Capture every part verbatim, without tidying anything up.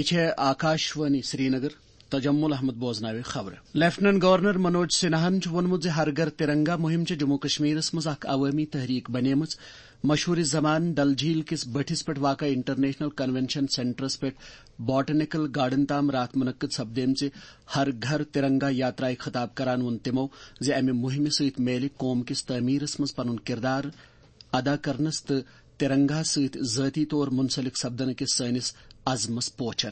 یہِ چھےٚ آکاشوانی سرینگر۔ تجمل احمد بوزناوِ خبرٕ۔ لیفٹیننٹ گورنر منوج سنہاہن چھُ ووٚنمُت زِ ہر گھر ترنگا مُہِم چھےٚ جموں کشمیرس منٛز اکھ عوٲمی تحریک بنیمٕژ۔ مشہوٗر زمان ڈل جھیل کِس بٔٹھِس پٮ۪ٹھ واقع انٹرنیشنل کنونشن سینٹرس پٮ۪ٹھ باٹنیکل گارڈن تام راتھ منعقد سپدیمژِ ہر گھر ترنگا یاترایہِ خطاب کران ووٚن تِمو زِ امہِ مُہِمہِ سۭتۍ میلہِ قوم کِس تعمیرس منٛز پنُن کردار ادا کرنس تہٕ ترنگاہس سۭتۍ ذٲتی طور منسلک سپدنہٕ کِس سٲنِس عزمس پوچھر۔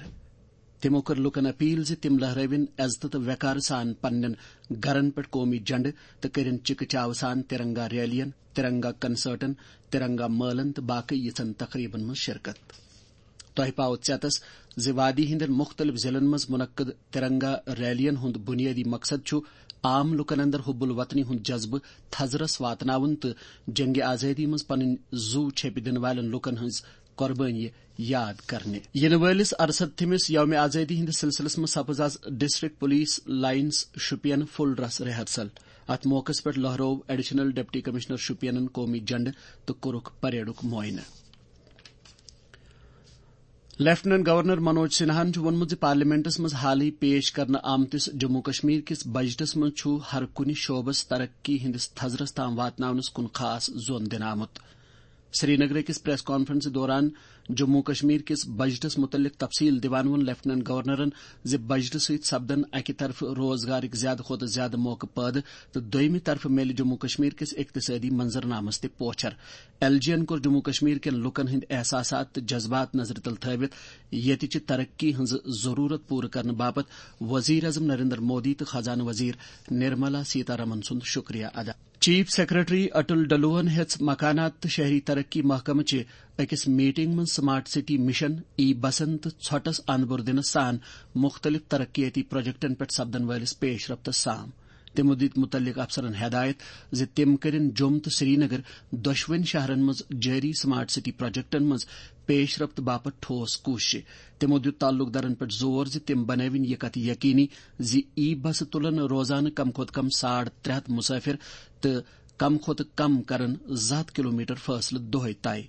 تِمو کٔر لوٗکن اپیل زِ تِم لہرٲوِن عزتہٕ تہٕ وقارٕ سان پننٮ۪ن گرن پٮ۪ٹھ قومی جھنڈٕ تہٕ کٔرِن چِکہٕ چاوٕ سان ترنگا ریلین، ترنگا کنسرٹن، ترنگا مٲلن تہٕ باقٕے یِژھن تقریبن منٛز شرکت۔ تۄہہِ پاوٕ ژیتس زِ وادی ہٕنٛدٮ۪ن مُختٔلِف ضلعن منٛز منعقد ترنگا ریلین ہُنٛد بُنیٲدی مقصد چھُ عام لوٗکن اندر حب الوطنی ہُنٛد جذبہٕ تھزرس واتناوُن تہٕ جنگِ آزٲدی منٛز پنٕنۍ زُو چھیپہِ دِنہٕ والٮ۪ن لوٗکن ہٕنٛز قۄربٲنی یاد کرنہِ۔ یِنہٕ وٲلِس ارسدتھمِس یومِ آزٲدی ہٕنٛدِس سلسلس منٛز سپٕز از district police lines Shopian full dress rehearsal. اتھ موقعس پٮ۪ٹھ لہرٲو ایڈیشنل ڈپٹی کمشنر شوپینن قومی جھنڈٕ تہٕ کوٚرُکھ پریڈُک معائنہٕ۔ لیفٹیننٹ گورنر منوج سنہاہن چھُ ووٚنمُت زِ پارلیمنٹس منٛز حالٕے پیش کرنہٕ آمتِس جموں کشمیر کِس بجٹس منٛز چھُ ہر کُنہِ شعبس ترقی ہٕنٛدِس تھزرس تام واتناونس کُن خاص زون دِنہٕ آمُت۔ سرینگر أکِس پریس کانفرنسہِ دوران جموں کشمیر کِس بجٹس مُتعلق تفصیل دِوان ووٚن لیفٹیننٹ گورنرن زِ بجٹہٕ سۭتۍ سپدن اکہِ طرفہٕ روزگارٕکۍ زیادٕ کھۄتہٕ زیادٕ موقعہٕ پٲدٕ تہٕ دوٚیمہِ طرفہٕ میلہِ جموں کشمیر کِس اقتصٲدی منظرنامس تہِ پوچھر۔ ایل جی ین کوٚر جموں کشمیر کٮ۪ن لوٗکن ہٕنٛدۍ احساسات تہٕ جذبات نظرِ تل تھٲوِتھ ییٚتہِ چہِ ترقی ہٕنٛز ضروٗرت پوٗرٕ کرنہٕ باپتھ وزیر اعظم نریندر مودی تہٕ خزانہٕ وزیر نرملا سیتارمن سُنٛد شُکریہ ادا۔ چیف سیکرٹری اٹل ڈلوہن ہیٚژ مکانات تہٕ شہری ترقی محکمہٕ چہِ أکِس میٹنگ منٛز سمارٹ سٹی مشن، ای بسن تہٕ ژھۄٹس اندپور دِنس سان مُختٔلِف ترقیٲتی پروجیکٹن پٮ۪ٹھ سپدن وٲلِس پیش رفتس سام۔ تِمو دِتۍ مُتعلق افسرن ہدایت زِ تِم کٔرِن جوٚم تہٕ سرینگر دۄشوٕنۍ شہرن منٛز جٲری سمارٹ سٹی پروجیکٹن منٛز پیش رفت باپتھ ٹھوس کوٗششہِ۔ تِمو دیُت تعلق دارن پٮ۪ٹھ زور زِ تِم بنٲوِن یہِ کتھ یقینی زِ ای بسہٕ تُلن روزانہٕ کم کھۄتہٕ کم ساڑ ترٛےٚ ہتھ مسافر تہٕ کم کھۄتہٕ کم کرن زٕ ہتھ کلومیٹر فٲصلہٕ دۄہے طے۔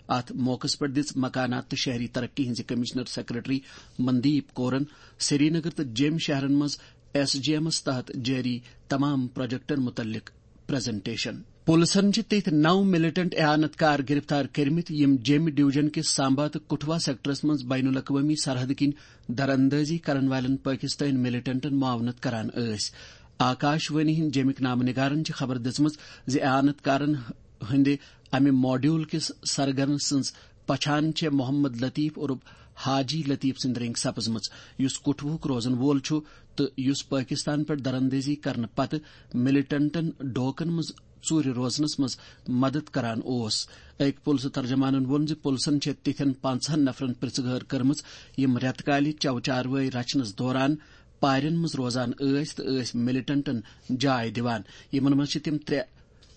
اتھ موقعس پٮ۪ٹھ دِژ مکانات تہٕ شہری ترقی ہٕنٛزِ commissioner secretary Mandeep corn Srinagar تہٕ جیٚمۍ شہرن منٛز ایس جی ایمس تحت جٲری تمام پروجیکٹن مُتعلق پریزنٹیشن۔ پُلسن چھِ تِتھۍ نو ملیٹنٹ اعانت کار گرفتار کٔرمٕتۍ، یِم جیٚمۍ ڈویژن کِس سامبا تہٕ کٹھوا سیکٹرس منٛز بین الاقوٲمی سرحد کِنۍ دراندازی کرن والٮ۪ن پٲکِستٲنۍ ملیٹنٹن معاونت کران ٲسۍ۔ آکاش وانی ہٕنٛدۍ جیٚمِکۍ نامہٕ نگارن چھِ خبر دِژمٕژ زِ اعانت کارن ہٕنٛدِ امہِ ماڈیول کِس سرگرن سٕنٛز پہچان چھےٚ محمد لطیف عرف حاجی لطیف سٕنٛدِ رٔنٛگۍ سپٕزمٕژ، یُس کٹھوہُک روزن وول چھُ تہٕ یُس پٲکستان پٮ۪ٹھ دراندازی کرنہٕ پتہٕ ملیٹنٹن ڈوکن منٛز ژوٗرِ روزنس منٛز مدد کران اوس۔ أکۍ پُلسہٕ ترجمانن ووٚن زِ پُلسن چھےٚ تِتھٮ۪ن پانٛژہن نفرن پرژھٕ گٲر کٔرمٕژ، یِم رٮ۪تہٕ کالہِ چو چاروٲے رچھنس دوران پارٮ۪ن منٛز روزان ٲسۍ تہٕ ٲسۍ ملیٹنٹن جاے دِوان۔ یِمن منٛز چھِ تِم ترٛےٚ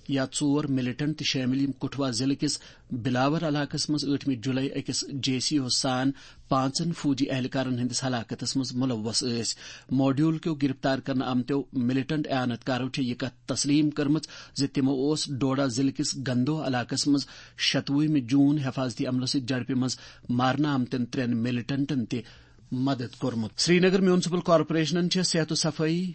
یا ژور ملیٹنٹ تہِ شٲمِل، یِم کٹھوا ضلعہٕ کِس بلاور علاقس منٛز ٲٹھمہِ جولائی أکِس جے سی او سان پانٛژن فوجی اہلکارن ہٕنٛدِس ہلاکتس منٛز ملوث ٲسۍ۔ ماڈیول کیو گرفتار کرنہٕ آمتیو ملیٹنٹ اعانت کارو چھےٚ یہِ کتھ تسلیم کٔرمٕژ زِ تِمو اوس ڈوڈا ضلعہٕ کِس گندو علاقس منٛز شتوُہمہِ جون حفاظتی عملہٕ سۭتۍ جھڑپہِ منٛز مارنہٕ آمتٮ۪ن ترٛٮ۪ن ملیٹنٹن تہِ مدد کوٚرمُت۔ سرینگر میونسپل کارپوریشنن چھےٚ صحت و صفٲیی،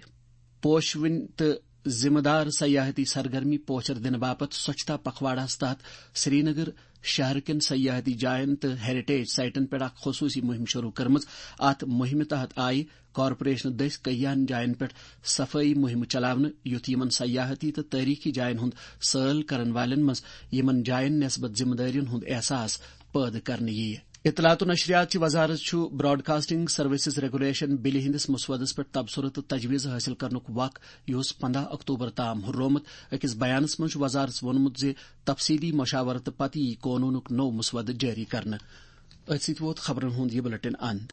پوشوٕنۍ تہٕ ذمہٕ دار سیاحتی سرگرمی پوچھر دِنہٕ باپتھ سوچھتا پکھواڑاہس تحت سرینگر شہر کٮ۪ن سیاحتی جاین تہٕ ہیریٹیج سائٹن پٮ۪ٹھ اکھ خصوصی مہم شروع کٔرمٕژ۔ اتھ مہمہِ تحت آیہِ کارپوریشنہٕ دٔسۍ کٔہیاہن جاین پٮ۪ٹھ صفٲیی مہمہٕ چلاونہٕ، یُتھ یِمن سیاحتی تہٕ تٲریخی جاین ہُنٛد سٲل کرن والٮ۪ن منٛز یِمن جاین نسبت ذمہٕ دٲرین ہُنٛد احساس پٲدٕ کرنہٕ یِیہِ۔ اطلاعات و نشریات چہِ وزارت چھُ براڈکاسٹنگ سروسز ریگولیشن بلہِ ہٕنٛدِس مسودس پٮ۪ٹھ تبصرٕ تہٕ تجویز حٲصِل کرنُک وق، یُس پندہ اکتوبر تام ہُررومُت۔ أکِس بیانس منٛز چھُ وزارتس ووٚنمُت زِ تفصیلی مشاورتہٕ پتہٕ یِیہِ قونوٗنُک نوٚو مسودٕ جٲری کرنہٕ۔ أتھۍ سۭتۍ ووت خبرن ہُنٛد یہِ بلیٹن اند۔